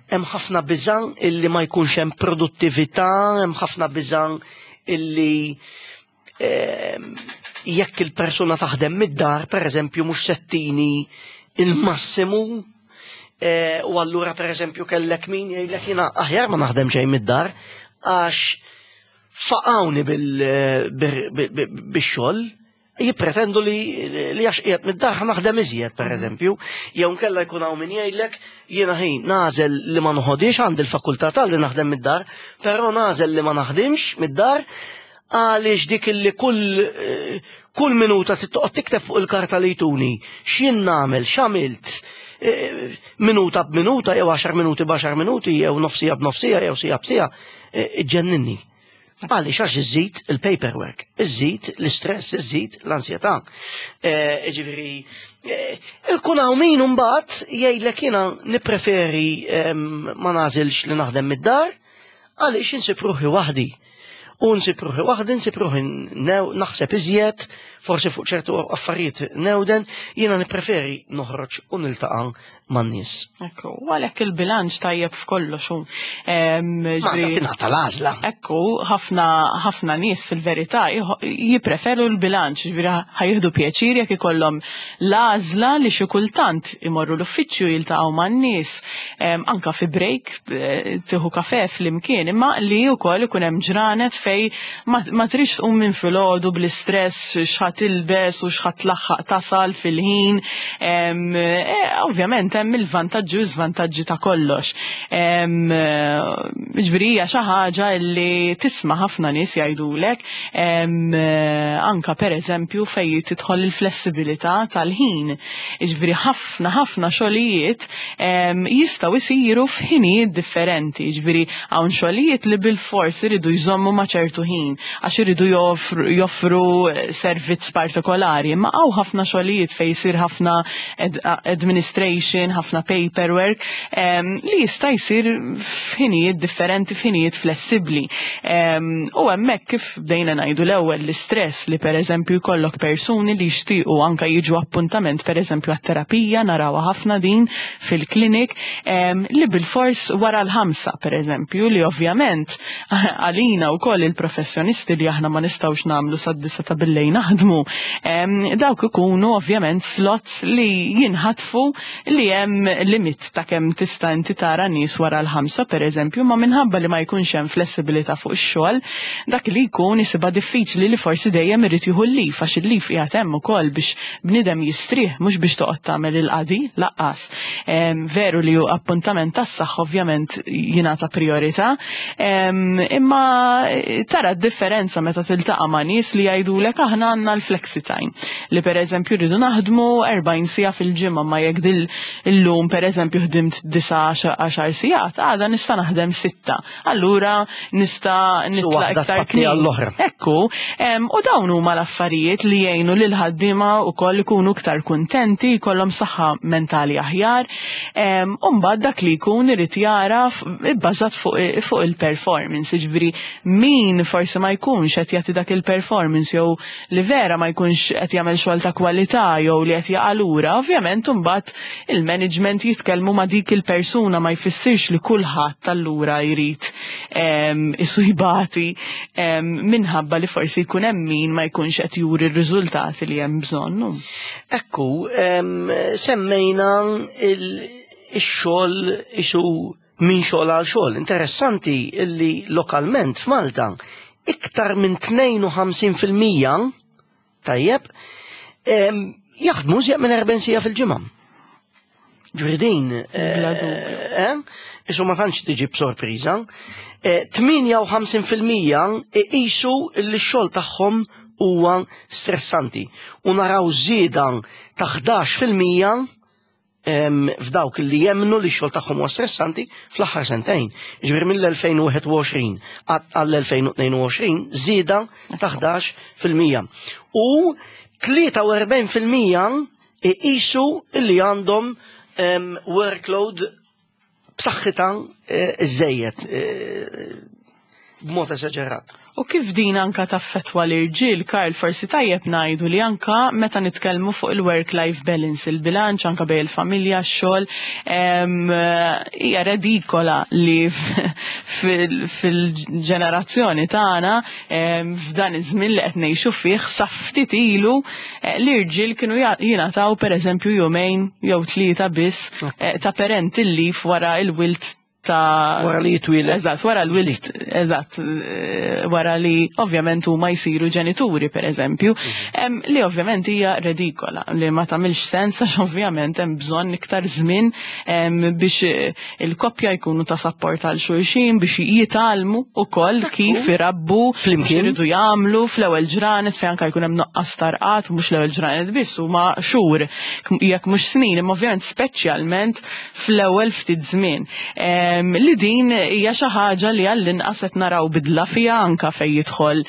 hemm ħafna biżan illi ma jkunx hemm produttività, hemm ħafna biżan illi eh, jekk il-persuna taħdem mid-dar, per eżempju, mhux settini il-massimu, eh, u allura per eżempju kellek min jgħidlek jiena aħjar ma naħdem xejn mid-dar għax faqawni bil-xogħol jippretendu li li għax qiegħed mid-dar naħdem iżjed pereżempju, jew nkella jkun hawn min jgħidlek jiena ħin nagħżel li ma noħodix għandi l-fakultà tal li naħdem mid-dar, però nagħżel li ma naħdimx mid-dar għaliex dik li kull eh, kull minuta toqgħod tikteb fuq il-karta li jtuni x'jien nagħmel, x'għamilt, eh, minuta b'minuta jew 10 minuti b'għaxar minuti jew nofsija b'nofsija jew sija b'sija, eh, ġenninni. Għaliex għax iżid il-paperwork, iżid l-istress, iżid l-ansjetà. Eh, ġifieri, eh, ikun hawn min imbagħad jgħidlek jiena nippreferi ehm, ma nażilx li naħdem mid-dar għaliex insib ruħi waħdi. U nsib ruħi waħdi, nsib ruħi naħseb iżjed, forsi fuq ċertu affarijiet newden, jiena nippreferi noħroġ u niltaqa' man-nies. Ekku, u għalhekk il-bilanċ tajjeb f'kollox hu. Tingħata l-għażla. Ekku, ħafna ħafna nies fil-verità jippreferu l-bilanċ, ġifieri ħajjieħdu pjaċir jekk ikollhom l-għażla li xi kultant imorru l-uffiċċju jiltaqgħu man-nies, anka fi break eh, tieħu kafe flimkien, imma li wkoll ikun hemm ġranet fej ma trix tqum minn filgħodu bl-istress x'ħa tilbes u x'ħa tlaħħaq tasal fil-ħin. Eh, ovvjament hemm il-vantaġġi u żvantaġġi ta' kollox. Ġifieri hija xi ħaġa li tisma' ħafna nies jgħidulek anka pereżempju fejn tidħol il-flessibilità tal-ħin. Ġifieri ħafna ħafna xogħlijiet jistgħu jsiru f'ħinijiet differenti, ġifieri hawn xogħlijiet li bilfors iridu jżommu ma' ċertu ħin għax iridu joffru servizz partikolari, imma hawn ħafna xogħlijiet fejn jsir ħafna administration, ħafna paperwork li jista' jsir f'ħinijiet differenti, f'ħinijiet flessibbli. U hemmhekk kif bdejna ngħidu l-ewwel l-istress li pereżempju jkollok persuni li jixtiequ anke jiġu appuntament pereżempju għat-terapija narawha ħafna din fil-klinik li bilfors wara l-5 pereżempju li ovvjament għalina wkoll il-professjonisti li aħna ma nistgħux nagħmlu sad-disa ta' billejl naħdmu dawk ikunu ovvjament slots li jinħatfu li hemm limit ta' kemm tista' inti tara nies wara l-5 pereżempju, ma minħabba li ma jkunx hemm flessibilità fuq ix-xogħol, dak li jkun isibha diffiċli li forsi dejjem irid jieħu l-leave għax il-leave qiegħed hemm ukoll biex bniedem jistrieħ mhux biex toqgħod tagħmel il-qadi laqqas. Veru li hu appuntament tas-saħħa ovvjament jingħata priorità, imma tara d-differenza meta tiltaqa' ma' nies li jgħidulek aħna għandna l-flexi time li pereżempju rridu naħdmu 40 siegħa fil-ġimgħa ma jekk dil Illum pereżempju ħdimt 9-10 sigħat, għada nista' naħdem 6. Allura nista' nitlaq iktar kmieni. Ekku, u dawn huma l-affarijiet li jgħinu lil ħaddiema wkoll ikunu iktar kuntenti, jkollhom saħħa mentali aħjar. U mbagħad dak li jkun irid jara bbażat fuq il-performance, jiġifieri min forsi ma jkunx qed jagħti dak il-performance jew li vera ma jkunx qed jagħmel xogħol ta' kwalità jew li qed jaqa' lura, ovvjament imbagħad il-management jitkellmu ma' dik il-persuna ma jfissirx li kulħadd allura jrid isu jbati minħabba li forsi jkun hemm min ma jkunx qed juri r-riżultati li hemm bżonn. Ekku, semmejna il-xogħol isu minn xogħol għal xogħol. Interessanti illi lokalment f'Malta iktar minn 52% tajjeb jaħdmu żjed minn 40 sija fil-ġimgħa. Ġifieri din, isu ma tantx tiġi b'sorpriża. 58% iqisu li x-xogħol tagħhom huwa stressanti u naraw żieda ta' 11% f'dawk li jemmnu li x-xogħol tagħhom huwa stressanti fl-aħħar sentejn. Ġifieri mill-2021 għall-2022 żieda ta' 11%. U 43% iqisu li għandhom workload b'saħħitha iżejjed b'mod esaġerat. U kif din anka taffettwa l-irġiel, Karl, forsi tajjeb ngħidu li anka meta nitkellmu fuq il-work-life balance, il-bilanċ anka bejn il-familja, x-xogħol, hija redikola li fil-ġenerazzjoni tagħna f'dan iż-żmien li qed ngħixu fih sa ftit ilu l-irġiel kienu jingħataw pereżempju jumejn jew tlieta biss ta' parental leave wara il-wild ta' Wara li jitwieled. Eżatt, wara l-wild, eżatt, wara li ovvjament huma jsiru ġenituri pereżempju, li ovvjament hija redikola, li ma tagħmilx sens għax ovvjament hemm bżonn iktar żmien biex il-koppja jkunu ta' sapport għal xulxin, biex jitgħallmu wkoll kif irabbu, Flimkien. x'iridu jagħmlu fl-ewwel ġranet fejn anke jkun hemm nuqqas tarqat, mhux l-ewwel ġranet biss, huma xhur, jekk mhux snin, imma ovvjament speċjalment fl-ewwel ftit żmien. Li din hija xi ħaġa li għall-inqas qed naraw bidla fiha anke fejn jidħol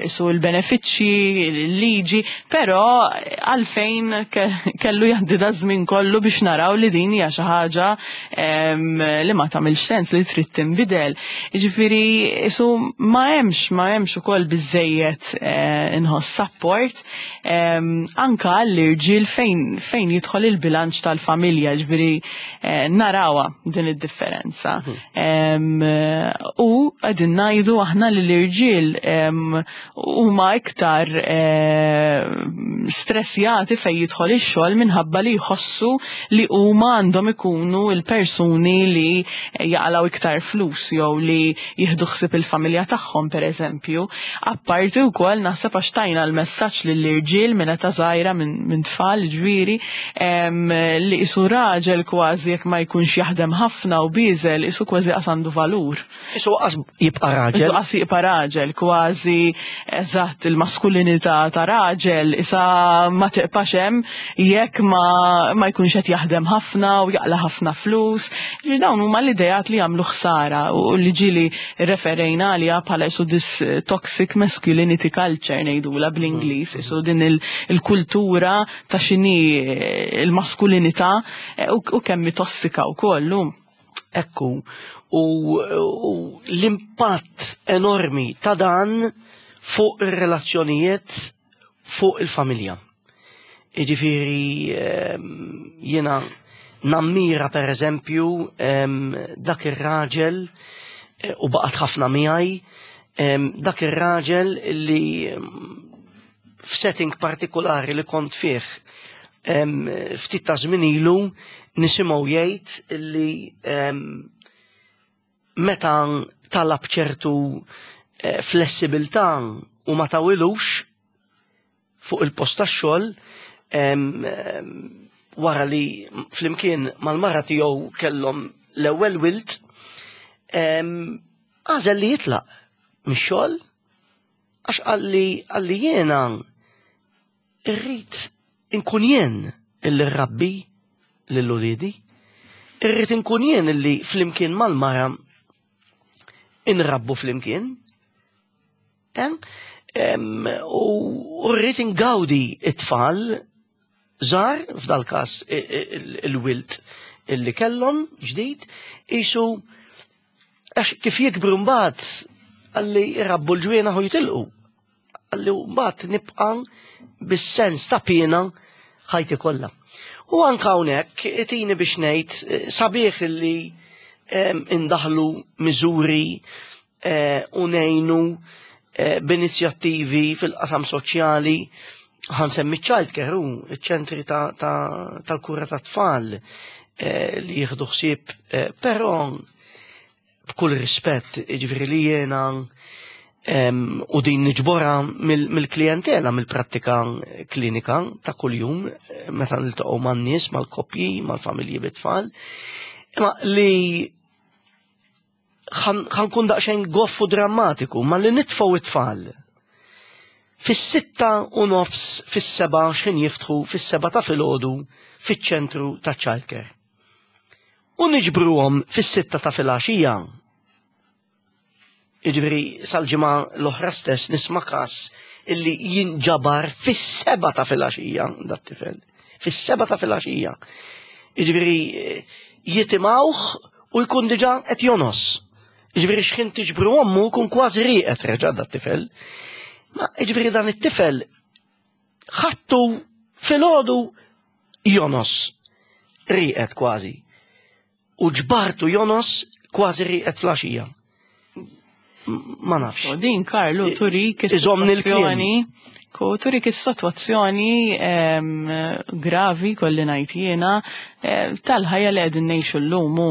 su l-benefiċċji, l-liġi, però għalfejn kellu jgħaddi da żmien kollu biex naraw li din hija xi ħaġa li ma tagħmilx sens li trid tinbidel. Jiġifieri su ma hemmx ukoll biżejjed inħoss support anka għall-irġiel fejn jidħol il-bilanċ tal-familja, ġifieri narawha din id-differenza. U qegħdin ngħidu aħna li l-irġiel huma iktar stressjati fejn jidħol ix-xogħol minħabba li jħossu li huma għandhom ikunu l-persuni li jaqalgħu iktar flus jew li jieħdu ħsieb il-familja tagħhom pereżempju. Apparti wkoll naħseb għax tajna l-messaġġ lill-irġiel minn età żgħira minn tfal ġifieri li isu raġel kważi jekk ma jkunx jaħdem ħafna u bieżel isu kważi qas għandu valur. Isu qas jibqa' raġel. Isu qas jibqa' raġel, kważi eżatt il-maskulinità ta' raġel isa ma tiqpax hemm jekk ma jkunx qed jaħdem ħafna u jaqla' ħafna flus. Ġifieri dawn huma l-ideat li jagħmlu ħsara u li ġieli referejna għaliha bħala isu this toxic masculinity culture ngħidulha bl-Ingliż, isu din il-kultura ta' x'inhi il-maskulinità u kemm hi tossika wkoll. Ekku, u l-impatt enormi ta' dan fuq ir-relazzjonijiet fuq il-familja. Jiġifieri jiena nammira per eżempju dak ir-raġel u baqgħet ħafna miegħi dak ir-raġel li f'setting partikolari li kont fih ftit ta' żmien ilu nisimgħu jgħid li meta talab ċertu flessibilità u ma tawilux fuq il-post tax-xogħol wara li flimkien mal-mara tiegħu kellhom l-ewwel wild, għażel li jitlaq mix-xogħol għax qalli jiena irrid inkun jien illi rrabbi. lil uliedi. Irrid inkun jien illi flimkien mal-mara inrabbu flimkien. Eh? U rrid ingawdi it-tfal żgħar, f'dal-każ il-wilt illi kellhom ġdid, isu għax kif jikbru mbagħad għalli jrabbu l-ġwienaħ u jitilqu. Għalli mbagħad nibqa' bis-sens ta' piena ħajti kollha. U anka hawnhekk itini biex ngħid eh, sabiħ illi indaħlu miżuri eh, u ngħinu eh, b'inizjattivi fil-qasam soċjali ħansemmi child care u ċ-ċentri tal-kura ta' tfal li jieħdu ħsieb, però b'kull rispett, jiġifieri li jiena u din niġbora mill-klijentela, mill-prattika klinika ta' kuljum, meta niltaqgħu man-nies, mal-koppji, mal-familji bit-tfal, imma li ħankun daqsxejn goffu drammatiku, ma li nitfgħu it-tfal fis-6:30 fis-7 x'ħin jiftħu fis-7 ta' filgħodu fiċ-ċentru ta' childcare. U niġbruhom fis-6 ta' filgħaxija. Jiġifieri sal-ġimgħa l-oħra stess nisma' każ illi jinġabar fis-7 ta' filgħaxija dat-tifel. Fis-7 ta' filgħaxija. Jiġifieri jitimgħuh u jkun diġà qed jonos. Jiġifieri x'ħin tiġbru ommu jkun kważi rieqed reġa' dat-tifel. Ma jiġifieri dan it-tifel ħattu filgħodu jonos rieqed kważi. U ġbartu jonos kważi rieqed flaxija. Ma nafx. U din, Karlu, turik is-sitwazzjoni Ku turik is-sitwazzjoni gravi kolli ngħid jiena tal-ħajja li qegħdin ngħixu llum u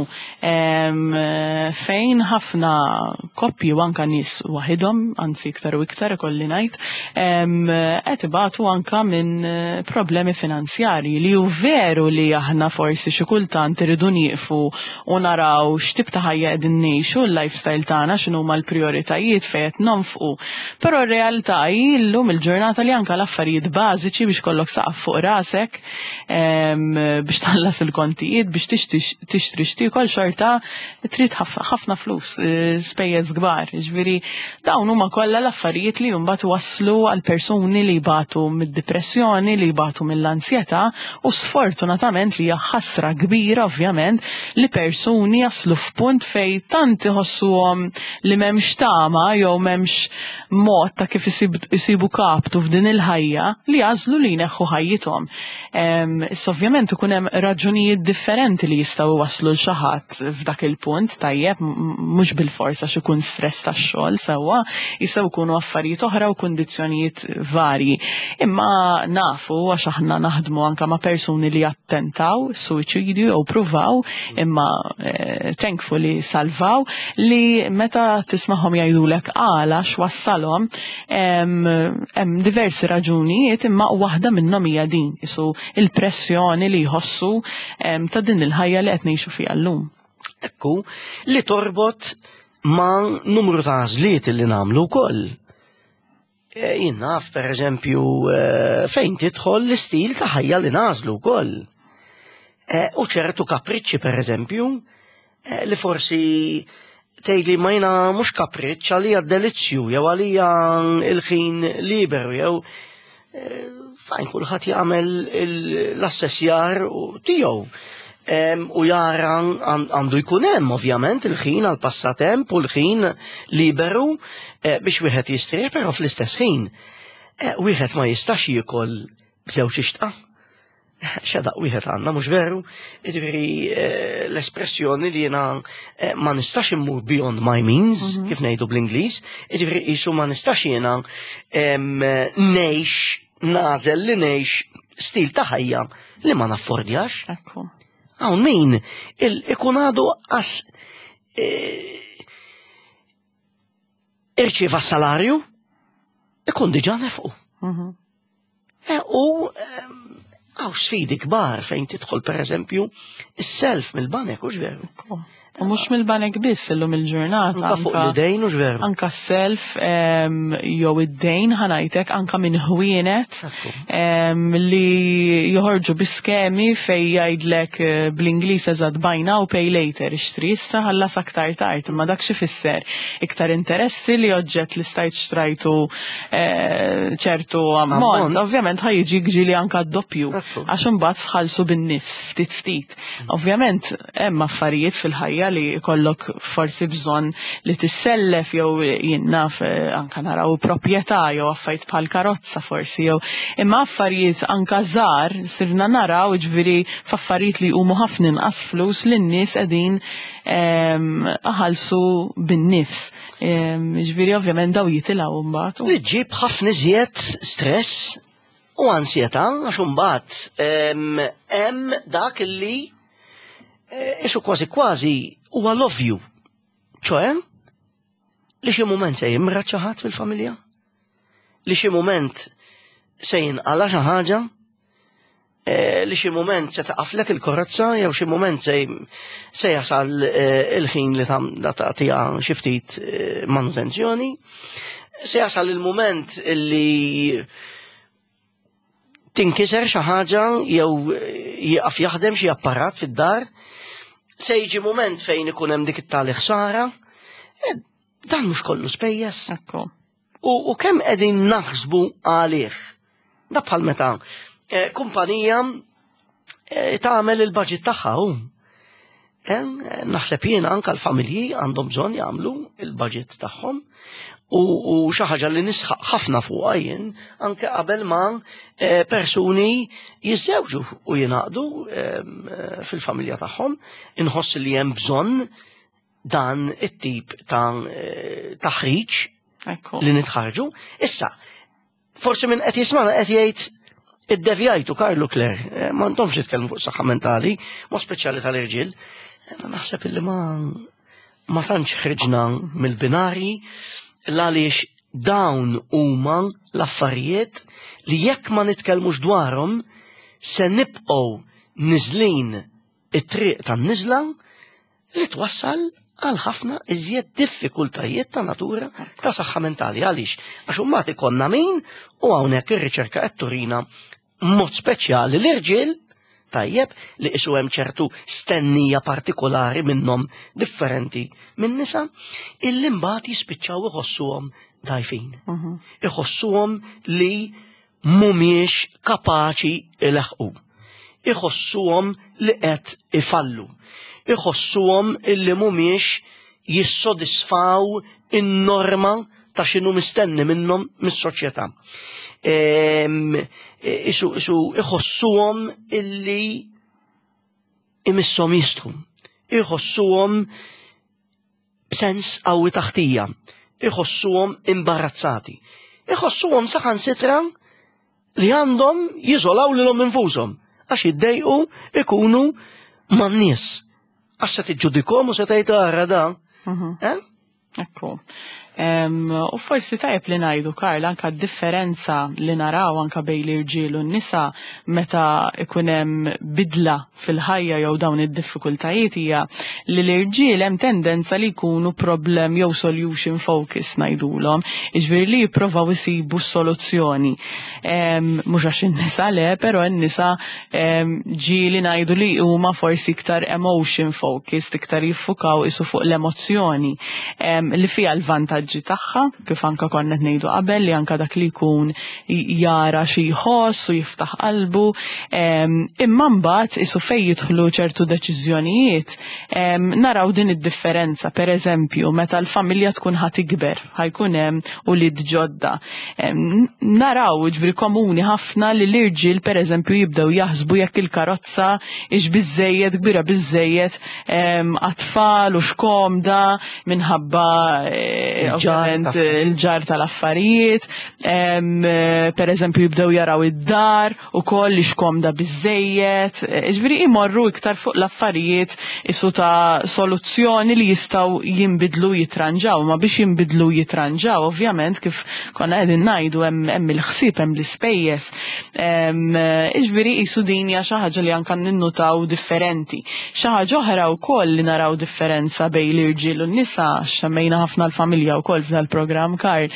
fejn ħafna koppji u anka nies waħidhom, anzi iktar u iktar ikolli ngħid, qed ibatu anka minn problemi finanzjarji li hu veru li aħna forsi xi kultant irridu nieqfu u naraw x'tip ta' ħajja qegħdin ngħixu, l-lifestyle tagħna, x'inhuma l-prijoritajiet fejn qed nonfqu. Però r-realtà hi llum il-ġurnata li anka l-affarijiet bażiċi biex kollok saqaf fuq rasek, biex tħallas il-kontijiet, biex tixtri x'tiekol xorta trid ħafna flus, eh, spejjeż kbar. Ġifieri dawn huma kollha l-affarijiet li mbagħad waslu għal persuni li jbatu mid-depressjoni, li jbatu mill-ansjetà u sfortunatament li hija ħasra kbira ovvjament li persuni jaslu f'punt fejn tant iħossuhom li m'hemmx tama jew m'hemmx mod ta' kif isibu kaptu f'din il-ħajja li jagħżlu li jneħħu ħajjithom. Issa ovvjament ikun hemm raġunijiet differenti li jistgħu jwasslu l xi ħadd f'dak il-punt tajjeb mhux bilfors għax ikun stress tax-xogħol sewwa, jistgħu jkunu affarijiet oħra u kundizzjonijiet varji. Imma nafu għax aħna naħdmu anke ma' persuni li attentaw suwiċidju jew pruvaw imma eh, thankfully salvaw li meta tismagħhom jgħidulek għala x'wassalhom hemm diversi raġunijiet imma waħda minnhom hija din isu il-pressjoni li jħossu ta' din il-ħajja li qed ngħixu fiha llum. Ekku, li torbot ma' numru ta' għażliet li nagħmlu wkoll. Eh, jien naf, per eżempju, eh, fejn tidħol l-istil ta' ħajja li nażlu wkoll. Eh, u ċertu kapriċċi, per eżempju, li forsi tgħidli ma jiena mhux kapriċċ għalija delizzju jew għalija il-ħin liberu jew fajn kulħadd jagħmel l-assessjar tiegħu. U jara għandu jkun hemm ovvjament il-ħin għal passatemp u l-ħin liberu eh, biex wieħed jistrieħ, però fl-istess ħin eh, wieħed ma jistax jiekol b'żewġ ixtqa. Xedaq wieħed għandna mhux veru, jiġifieri eh, l-espressjoni li jiena eh, ma nistax immur beyond my means, mhm. kif ngħidu bl-Ingliż, jiġifieri qisu ma nistax jiena ngħix nażel li ngħix stil ta' ħajja li ma naffordjax. Hawn min ikun għadu qas eh, irċieva s-salarju, ikun diġà nefqu. Mhm. E, u għaw sfidi kbar fejn tidħol per eżempju is-self mill-banek, u veru. U mhux mill-banek biss illum il-ġurnata. Anka fuq l-idejn u veru. Anka s-self jew id-dejn ħa ngħidlek anka minn ħwienet li joħorġu bi skemi fejn jgħidlek bl-Ingliż eżatt "buy now, pay later", ixtri issa, ħallas aktar tard, imma dak xi fisser? Iktar interessi li oġġett li stajt xtrajtu ċertu ammont, ovvjament ħa jiġi ġieli anka d-doppju għax imbagħad tħallsu bin-nifs ftit ftit. Ovvjament hemm affarijiet fil-ħajja li jkollok forsi bżonn li tissellef jew jien naf anka naraw proprjetà jew affarijiet bħal karozza forsi jew, imma affarijiet anka żgħar sirna naraw, ġifieri f'affarijiet li huma ħafna inqas flus li n-nies qegħdin iħallsu bin-nifs. Ġifieri ovvjament daw jitilgħu mbagħad. Li ġib ħafna iżjed stress u ansjetà, għax imbagħad hemm dak li isu kważi kważi huwa l-ovvju. ċoè li xi mument se jimrad xi ħadd fil-familja, li xi mument se jinqala xi ħaġa, li xi mument se taqaflek il-karozza jew xi mument se jasal il-ħin li tagħtiha xi ftit manutenzjoni, se jasal il-mument li tinkiser xi ħaġa jew jieqaf jaħdem xi apparat fid-dar, se jiġi mument fejn ikun hemm dik it-tali ħsara. Dan mhux kollu spejjeż? Ekku. U kemm qegħdin naħsbu għalih? Da bħal meta kumpanija tagħmel il-budget tagħha hu. Naħseb jiena anka l-familji għandhom bżonn jagħmlu il-budget tagħhom u xi ħaġa li nisħaq ħafna fuqha jien anke qabel ma persuni jiżżewġu u jingħaqdu fil-familja tagħhom, inħoss li hemm bżonn dan it-tip ta' taħriġ li nitħarġu. Issa, forsi minn qed jismana qed jgħid, "Iddevjajtu, Karlu, Claire, ma ntomx titkellmu fuq saħħa mentali, mod speċjali tal-irġiel." Naħseb illi ma tantx ħriġna mill-binari, għaliex dawn huma l-affarijiet li jekk ma nitkellmux dwarhom se nibqgħu niżlin it-triq tan-niżla li twassal għal ħafna iżjed diffikultajiet ta' natura ta' saħħa mentali. Għaliex? Għax imbagħad ikollna min, u hawnhekk ir-riċerka qed turina mod speċjali l-irġiel, tajjeb, li isu hemm ċertu stennija partikolari minnhom differenti minn nisa, illi mbagħad jispiċċaw iħossuhom dgħajfin. Iħossuhom li mhumiex kapaċi ileħqu. Iħossuhom li qed ifallu. Iħossuhom illi mhumiex jissodisfaw in-norma ta' x'inhu mistenni minnhom mis-soċjetà. Isu iħossuhom illi imisshom jistħu. Iħossuhom b'sens qawwi ta' ħtija. Iħossuhom imbarazzati. Iħossuhom saħansitra li għandhom jiżolaw lilhom infushom għax jiddejqu ikunu man-nies. Għax se tiġġudikhom u se tgħid, "Ara da." Eh? Ekku. U forsi tajjeb li ngħidu, Karl, anka differenza li naraw anka bejn l-irġiel u n-nisa meta ikun hemm bidla fil-ħajja jew dawn id-diffikultajiet hija li l-irġiel hemm tendenza li jkunu problem jew solution focus ngħidulhom, jiġifieri li jippruvaw isibu soluzzjoni. Mhux għax in-nisa le, però n-nisa ġieli ngħidu li huma forsi iktar emotion focused, iktar jiffukaw isu fuq l-emozzjoni li fiha l-vantaġġi tagħha, kif anka konna qed ngħidu qabel, li anka dak li jkun jara xi jħoss u jiftaħ qalbu, imma mbagħad isu fejn jidħlu ċertu deċiżjonijiet naraw din id-differenza. Per eżempju, meta l-familja tkun ħa tikber, ħa jkun hemm ulied ġodda. Naraw, ġifieri komuni ħafna li l-irġiel per eżempju jibdew jaħsbu jekk il-karozza ix biżejjed kbira biżejjed għat-tfal u x'komda minħabba Ovvjament il-ġarr tal-affarijiet, per eżempju jibdew jaraw id-dar ukoll li xkomda biżejjed, ġifieri imorru iktar fuq l-affarijiet isu ta' soluzzjoni li jistgħu jinbidlu jitranġaw, ma biex jinbidlu jitranġaw, ovvjament kif konna qegħdin ngħidu hemm il-ħsieb, hemm l-ispejjeż. Ġifieri qisu din hija xi ħaġa li anke ninnutaw differenti. Xi ħaġa oħra wkoll li naraw differenza bejn l-irġiel u n-nisa, semmejna ħafna l-familja wkoll f'dan il-programm Karl,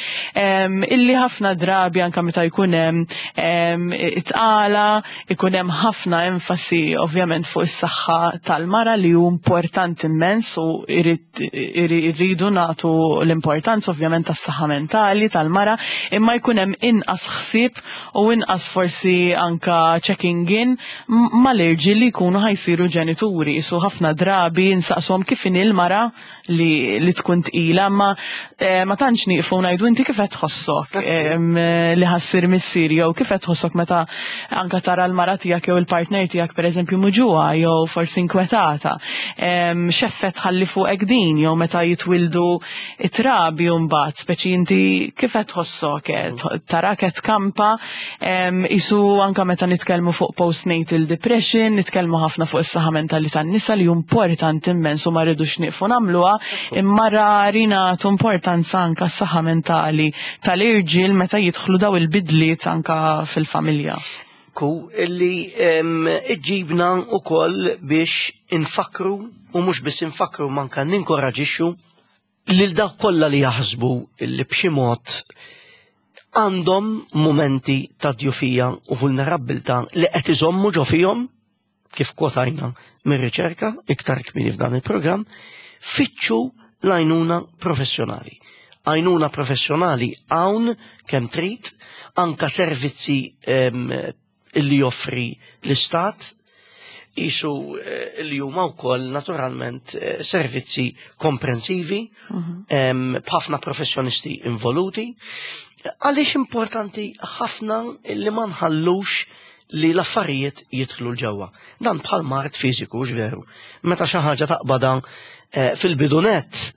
illi ħafna drabi anke meta jkun hemm it-tqala, ikun hemm ħafna enfasi ovvjament fuq is-saħħa tal-mara li hu importanti immens u irridu nagħtu l-importanza ovvjament tas-saħħa mentali tal-mara, imma jkun hemm inqas ħsieb u inqas forsi anka checking in mal-irġiel li jkunu ħa jsiru ġenituri. Isu ħafna drabi nsaqshom kif inhi l-mara li tkun tqila, ma ma tantx nieqfu ngħidu inti kif qed tħossok li ħa ssir missier jew kif qed tħossok meta anka tara l-mara tiegħek jew il-partner tiegħek pereżempju muġugħa jew forsi inkwetata. X'effett ħalli fuqek din jew meta jitwildu it-trabi mbagħad, speċi inti kif qed tħossok, tarak qed kampa isu anka meta nitkellmu fuq postnatal depression, nitkellmu ħafna fuq is-saħħa mentali tan-nisa li importanti immens u ma rridux nieqfu nagħmluha, imma rari nagħtu importanza anka s-saħħa mentali tal-irġiel meta jidħlu daw il-bidliet anka fil-familja. Ku illi iġġibna ukoll biex infakru u mhux biss infakru manka ninkoraġixxu lil dawk kollha li jaħsbu li b'xi mod għandhom momenti ta' djufija u vulnerabbiltà li qed iżommu ġo fihom, kif kwotajna mir-riċerka iktar kmieni f'dan il-programm, fittxu l-għajnuna professjonali. Għajnuna professjonali hawn kemm trid, anka servizzi illi joffri l-Istat, isu li huma wkoll naturalment servizzi komprensivi b'ħafna professjonisti involuti. Għaliex importanti ħafna li ma nħallux li l-affarijiet jidħlu l-ġewwa. Dan bħal mard fiżiku, veru. Meta xi ħaġa taqbada fil-bidunet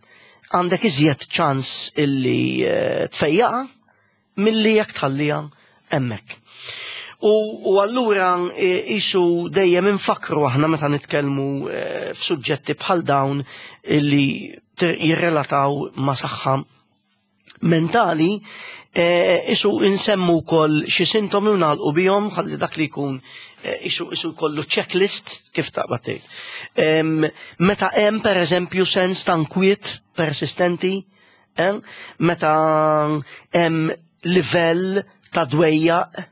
għandek iżjed ċans illi tfejjaqa milli jekk tħallija hemmhekk. U allura isu dejjem infakru aħna meta nitkellmu f'suġġetti bħal dawn illi jirrelataw ma' saħħa mentali, isu insemmu wkoll xi sintomi u nagħlqu bihom ħalli dak li jkun isu jkollu checklist kif taqbad tgħid. Meta hemm pereżempju sens ta' nkwiet persistenti, meta hemm livell ta' dwejjaq,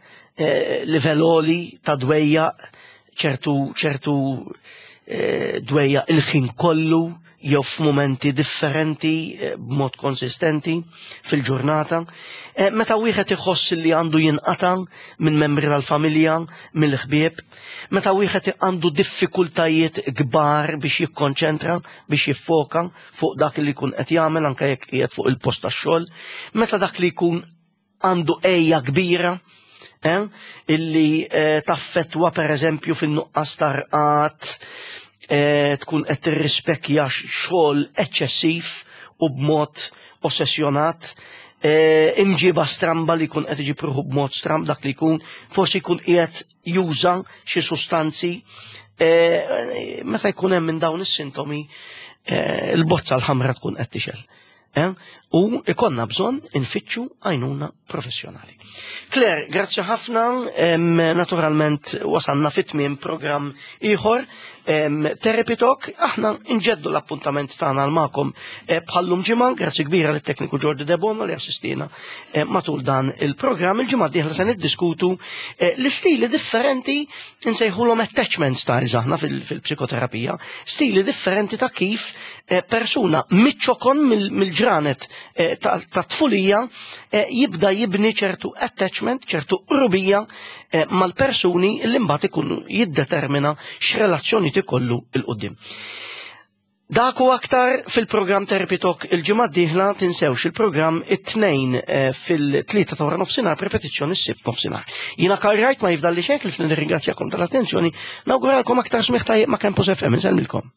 livell għoli ta' dwejjaq, ċertu dwejjaq il-ħin kollu jew f'mumenti differenti b'mod konsistenti fil-ġurnata. Meta wieħed iħoss li għandu jinqata' minn membri tal-familja, mill-ħbieb, meta wieħed għandu diffikultajiet kbar biex jikkonċentra, biex jiffoka fuq dak li jkun qed jagħmel anke jekk qiegħed fuq il-post tax-xogħol, meta dak li jkun għandu għeja kbira, illi taffetwa per eżempju fin-nuqqas tarqat, tkun qed tirrispekja xogħol eċċessiv u b'mod ossessjonat, imġiba stramba li jkun qed iġib ruħu b'mod stramb dak li jkun, forsi jkun qiegħed juża xi sustanzi, meta jkun hemm minn dawn is-sintomi, il-bozza l-ħamra tkun qed tixgħel. U ikonna bżonn infittxu għajnuna professjonali. Claire, grazzi ħafna, naturalment wasanna fit-tmiem programm ieħor, Therapy Talk, aħna nġeddu l-appuntament tagħna għal magħkom bħallum ġimgħa, grazzi kbira lit-tekniku Jordi Debono li assistina matul dan il-programm. Il-ġimgħa d-dieħla se niddiskutu l-istili differenti nsejħulhom attachment styles aħna fil-psikoterapija, stili differenti ta' kif persuna miċ-ċokon mill-ġranet ta' tfulija jibda jibni ċertu attachment, ċertu qrubija mal-persuni li mbagħad ikunu jiddetermina x'relazzjoni ikollu 'l quddiem. Dak u aktar fil-programm Therapy Talk il-ġimgħa d-dieħla, tinsewx il-programm it-Tnejn fil-3 ta' wara nofsinhar, repetizzjoni s-Sibt nofsinhar. Jiena Karl Wright, ma jifdalli xejn ħlief nirringrazzjakom tal-attenzjoni, nawguralkom aktar smigħ tajjeb ma' Campus FM, insellmilkom.